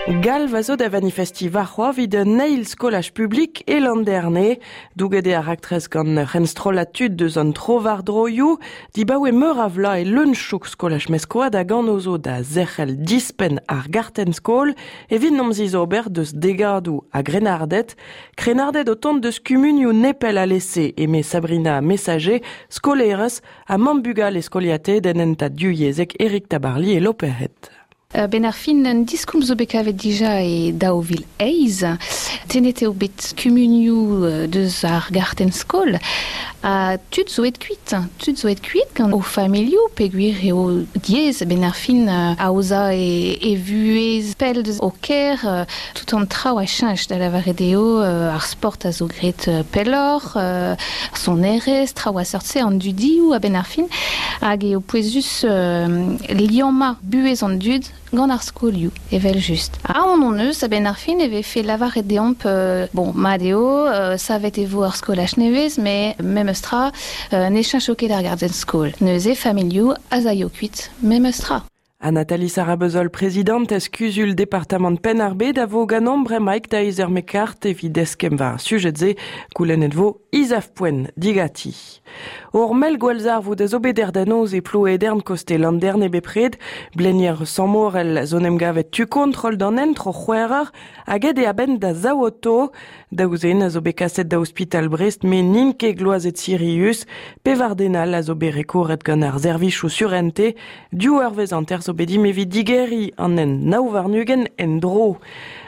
Galv a zo da vanifestiñ warc'hoazh evit un eil skolaj publik e Landerne. Douget eo ar raktres gant ur c'henstrollad tud deus an tro-war-droioù. Dibaoe meur a vloaz e leun-chouk skolaj Meskoad hag anv zo da zerc'hel dispenn ar gartenn-skol evit n'omp zizober deus degadoù a grennarded. Krennarded o tont deus kumunioù nepell alese, eme Sabrina Messager, skolaerez ha mamm bugale skoliataet en hentad divyezhek Eric Tabarly e Loperc'hed. Benn ar fin, un diskoulm zo bet kavet dija e 2008. Tennet eo bet kumunioù deus ar gartenn-skol ha tud zo aet kuit. Tud zo aet kuit gant o familhoù peogwir eo diaes benn ar fin aozañ e vuhez pell deus ho kêr. Tout an traoù a cheñch, da lavaret eo ar sport a zo graet pelloc'h, ar sonerezh, traoù a seurt-se, an dudioù a-benn ar fin. Hag eo pouezus liammañ buhez an dud gant ar skolioù, evel-just. Aon hon eus a-benn ar fin e vefe lavaret deomp bon, mat eo, savet e vo ar skolaj nevez, met memes tra, ne cheñcho ket ar gardenn-skol. Neuze familhoù az aio kuit memes tra. Ha Nathalie Sarabezol, prezidantez kuzul departamant Penn-ar-Bed, a vo ganeomp bremaik da Izer Mekart evit eskemm war ar sujed-se. Goulennet vo Isaf Poent digati. Ur mell gwallzarvoud a zo bet er da noz e Plouedern koste Landerne bepred. Blenier Samorel zo 'n em gavet tu kontrol d'an hent tro c'hwec'h hag aet eo a-benn da zaou oto. Daou zen a zo bet kaset da ospital Brest met n'int ket gloazet sirius. Pevar den all a zo bet rekouret gant ar servijoù surente. Div eurvezh hanter zo bet dimp evit digeriñ an hent 29 en-dro.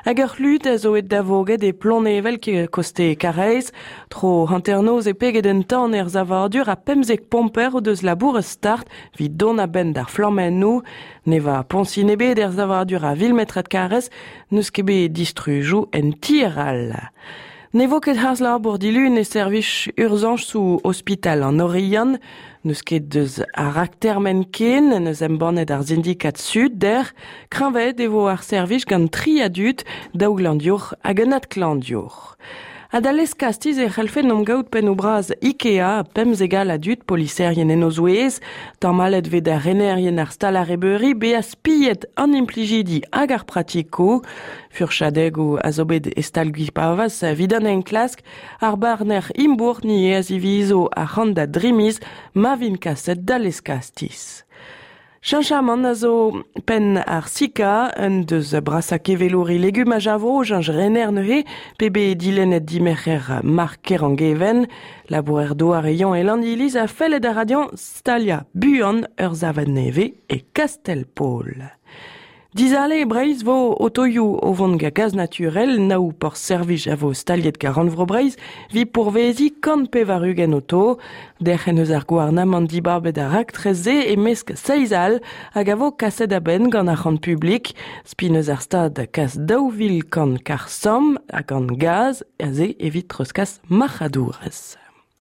Hag ur c'hlud a zo aet da voged e Plonnevel koste Karaez. Tro hanternoz e peget un tan er savadur ha 15 pomper o deus labouret start evit dont a-benn d'ar flammennoù. Ne va poñsin ebet er savadur a vil metrad karrez, n'eus ket bet distrujoù en tier all. Ne vo ket harz-labour dilun e servij urzañsoù ospital an Oriant. N'eus ket deus ar raktermen ken, n'eus embannet ar sindikad Sud der. Kreñvaet e vo ar servij gant tri a dud, daou glañdiour hag un adklañdiour. Ha da lez-kastiz e c'hellfe 'n gaout pennoù-bras Ikea, 15 all a dud, poliserien en o zouez. Tamallet 'vez da renerien ar stal-arrebeuri bezañ spiet an implijidi hag ar pratikoù. Furchadegoù a zo bet e stal Gwipavaz evit an enklask. Ar barner Imbourc'h ni a zivizo arc'hant da dri miz ma vint kaset da lez-kastiz. Cheñchamant a zo penn ar Sika, un deus brasañ kevelouri legumaj a vro, cheñch rener neuze, pe bet dilennet dimerc'her Marc Kerangeven. Labourer-douar e Yañ e Landiliz a felle da radiañ staliañ buan ur savenn nevez e Kastell-Paol. Dizale e Breizh 'vo otoioù o vont gant gaz naturel, nav porzh servij a vo staliet gant Rannvro Breizh 'vit pourveziñ 180 oto. Derc'hen eus ar gouarnamant dibabet ar raktres-se e-mesk seizh all hag a vo kaset a-benn gant arc'hant publik. Spin eus ar Stad kas 2100 karr-samm ha gant gaz aze evit treuzkas marc'hadourezh.